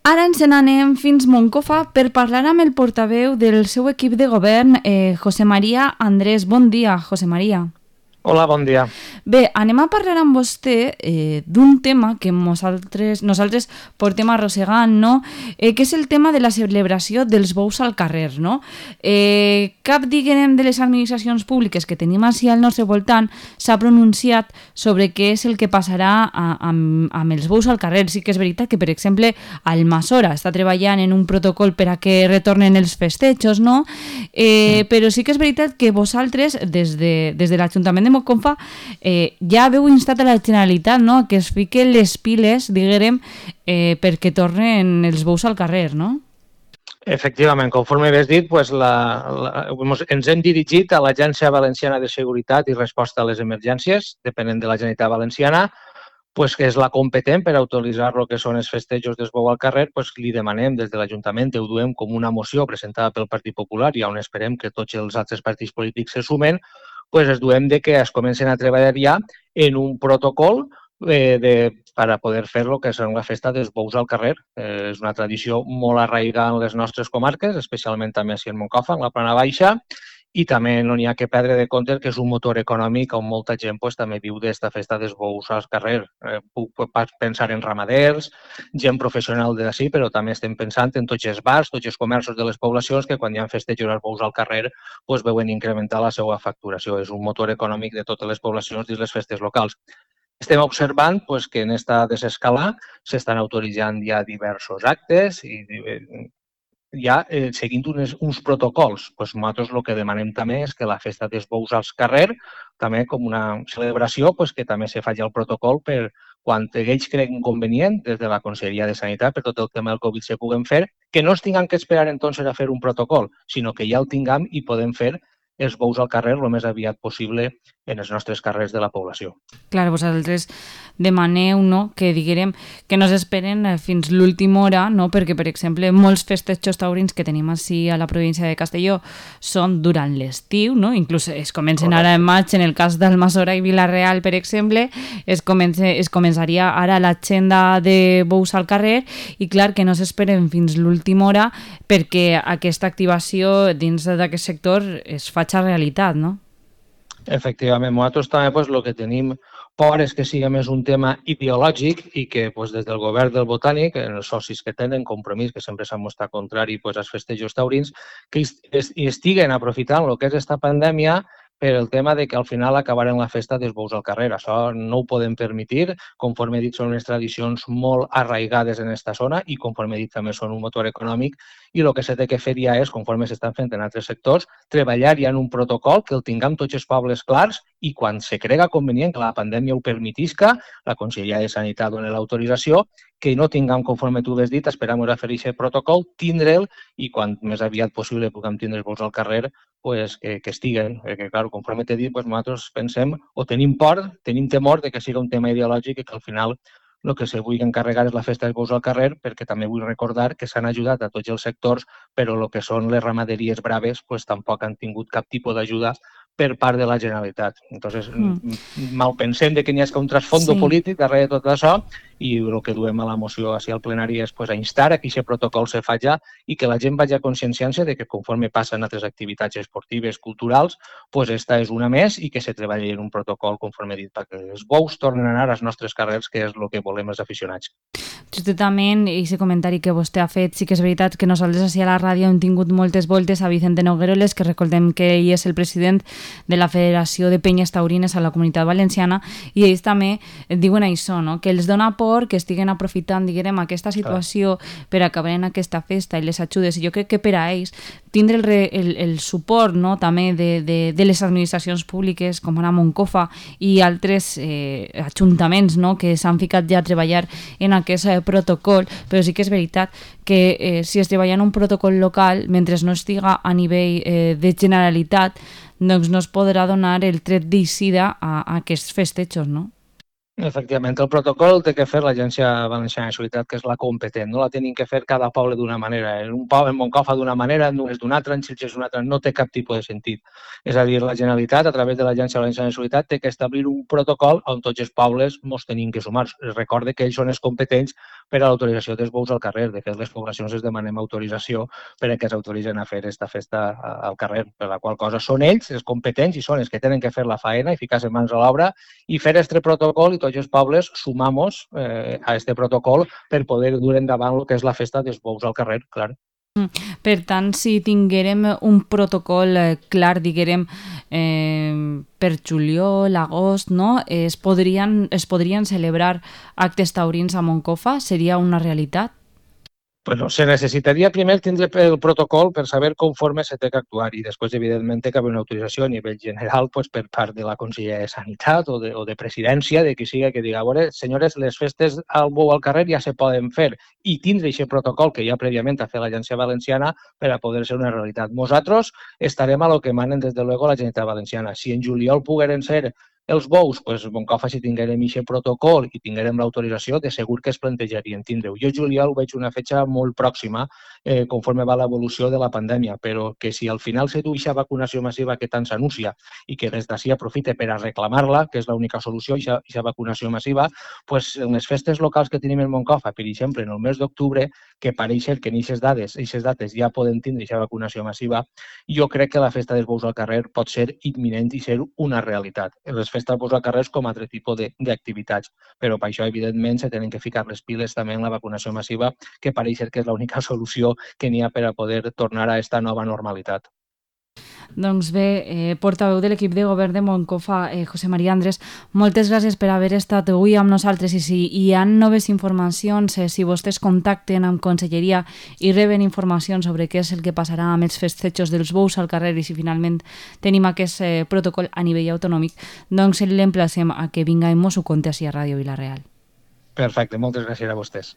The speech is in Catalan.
Ara ens n'anem fins Moncofa per parlar amb el portaveu del seu equip de govern, José María Andrés. Bon dia, José María. Hola, bon dia. Bé, anem a parlar amb vostè d'un tema que nosaltres portem arrossegant, no? Que és el tema de la celebració dels bous al carrer, no? Cap, diguem, de les administracions públiques que tenim així al nostre voltant s'ha pronunciat sobre què és el que passarà amb els bous al carrer. Sí que és veritat que, per exemple, Almassora està treballant en un protocol per a que retornen els festejos, no? Però sí que és veritat que vosaltres, des de l'Ajuntament de Moncofa, ja haveu instat a la Generalitat, no?, que es fiquen les piles, diguem, perquè tornen els bous al carrer, no? Efectivament, conforme havies dit, ens hem dirigit a l'Agència Valenciana de Seguretat i Resposta a les Emergències, depenent de la Generalitat Valenciana, que és la competent per autoritzar el que són els festejos dels bous al carrer. Li demanem des de l'Ajuntament, ho duem com una moció presentada pel Partit Popular i on esperem que tots els altres partits polítics se sumen, es duem que es comencen a treballar ja en un protocol per a poder fer lo que és la festa dels bous al carrer. És una tradició molt arraigada en les nostres comarques, especialment també a Moncofa, en la Plana Baixa, i també no n'hi ha que perdre de compte que és un motor econòmic on molta gent també viu d'esta festa dels bous al carrer. Puc pensar en ramaders, gent professional d'ací, però també estem pensant en tots els bars, tots els comerços de les poblacions que quan hi ha festejos als bous al carrer veuen incrementar la seva facturació. És un motor econòmic de totes les poblacions dins les festes locals. Estem observant que en aquesta desescalada s'estan autoritzant ja diversos actes i ja seguint uns protocols. Nosaltres el que demanem també és que la festa dels bous al carrer, també com una celebració, que també se faci el protocol per quan ells creguin convenient, des de la Conselleria de Sanitat, per tot el tema del Covid se puguen fer, que no es tinguin que esperar entonces a fer un protocol, sinó que ja el tinguem i podem fer els bous al carrer el més aviat possible en els nostres carrers de la població. Clar, vosaltres demaneu, no?, que diguem que no s'esperen fins l'última hora, no?, perquè, per exemple, molts festejos taurins que tenim així a la província de Castelló són durant l'estiu, no?, inclús es comencen ara en maig, en el cas d'Almassora i Vila-real, per exemple, es començaria ara l'agenda de bous al carrer i, clar, que no s'esperen fins l'última hora perquè aquesta activació dins d'aquest sector es faci realitat, no? Efectivament, nosaltres també el que tenim por és que sigui més un tema ideològic i que des del govern del Botànic, els socis que tenen Compromís, que sempre s'han mostrat contrari als festejos taurins, que estiguen aprofitant el que és aquesta pandèmia per el tema de que al final acabarem la festa dels bous al carrer. Això no ho podem permetre. Conforme he dit, són unes tradicions molt arraigades en aquesta zona i, conforme he dit, també són un motor econòmic i el que s'ha de fer ja és, conforme s'estan fent en altres sectors, treballar ja en un protocol que el tinguem tots els pobles clars i quan se crega convenient que la pandèmia ho permetisca, la Conselleria de Sanitat doni l'autorització, que no tinguem, conforme tu has dit, esperem a fer aquest protocol, tindre'l i quan més aviat possible puguem tindre els bous al carrer, que estiguen. Perquè, clar, conforme t'he dit, nosaltres pensem o tenim temor de que sigui un tema ideològic i que al final el que se vulgui encarregar és la festa dels bous al carrer, perquè també vull recordar que s'han ajudat a tots els sectors, però el que són les ramaderies braves tampoc han tingut cap tipus d'ajuda per part de la Generalitat. Entonces, malpensem que n'hi hagi un trasfondo polític darrere de tot això i el que duem a la moció al plenari és a instar a que aquest protocol se faci i que la gent vagi a conscienciar-se de que conforme passen altres activitats esportives, culturals, esta és una més i que se treballi en un protocol, conforme he dit, perquè els bous tornen a anar als nostres carrers, que és el que volem els aficionats. Justament, aquest comentari que vostè ha fet, sí que és veritat que nosaltres així a la ràdio hem tingut moltes voltes a Vicente Nogueroles, que recordem que ell és el president de la Federació de Penyes Taurines a la Comunitat Valenciana, i ells també diuen això, no?, que els dona por que estiguen aprofitant, diguem, aquesta situació per acabar en aquesta festa i les ajudes. I jo crec que per a ells tindre el suport, no?, també de les administracions públiques com ara Moncofa i altres ajuntaments, no?, que s'han ficat ja a treballar en aquest protocol, però sí que és veritat que si es treballa en un protocol local, mentre no estiga a nivell de Generalitat, doncs no es podrà donar el tret d'eixida a aquests festejos, no? Efectivament, el protocol el té que fer l'Agència Valenciana de Seguretat, que és la competent. No la tenim que fer cada poble d'una manera. En un poble, en Moncofa d'una manera, en és d'una altra, en Xilxes d'una altra. No té cap tipus de sentit. És a dir, la Generalitat, a través de l'Agència Valenciana de Seguretat, té que establir un protocol on tots els pobles ens tenim que sumar. Recorde que ells són els competents per a l'autorització dels bous al carrer. De fet, les poblacions es demanem autorització per a que s'autoritzen a fer aquesta festa al carrer, per la qual cosa són ells els competents i són els que tenen que fer la faena i ficar-se mans a l'obra i fer este protocol i tots els pobles sumamos a este protocol per poder dur endavant el que és la festa dels bous al carrer, clar. Per tant, si tinguérem un protocol clar, diguérem, per juliol, agost, no? Es podrien celebrar actes taurins a Moncofa? Seria una realitat? Bueno, se necessitaria primer tindre el protocol per saber conforme se té que actuar i després, evidentment, que hi ha una autorització a nivell general pues, per part de la Conselleria de Sanitat o de Presidència, de qui siga que diga, a veure, senyores, les festes al bou al carrer ja se poden fer i tindre aquest protocol que ja prèviament ha fet l'Agència Valenciana per a poder ser una realitat. Nosaltres estarem a lo que manen des de luego la Generalitat Valenciana. Si en juliol pogueren ser els bous, doncs, Moncofa, si tinguérem aquest protocol i tinguérem l'autorització, de segur que es plantejarien tindre-ho. Jo juliol ho veig una fetge molt pròxima conforme va l'evolució de la pandèmia, però que si al final se du aquesta vacunació massiva que tant s'anuncia i que des d'ací aprofite per a reclamar-la, que és l'única solució, aquesta vacunació massiva, doncs en les festes locals que tenim en Moncofa, per exemple, en el mes d'octubre, que pareix ser que en aquestes dates ja poden tindre aquesta vacunació massiva, jo crec que la festa dels bous al carrer pot ser imminent i ser una realitat. Les festes dels carrers com a altre tipus d'activitats. Però per això, evidentment, se tenen que ficar les piles també en la vacunació massiva, que pareix ser que és l'única solució que n'hi ha per a poder tornar a aquesta nova normalitat. Doncs bé, portaveu de l'equip de govern de Moncofa, José María Andrés, moltes gràcies per haver estat avui amb nosaltres i si hi ha noves informacions, si vostès contacten amb Conselleria i reben informacions sobre què és el que passarà amb els festejos dels bous al carrer i si finalment tenim aquest protocol a nivell autonòmic, doncs l'emplacem a que vinga i mos ho conti així a Ràdio Vila-real. Perfecte, moltes gràcies a vostès.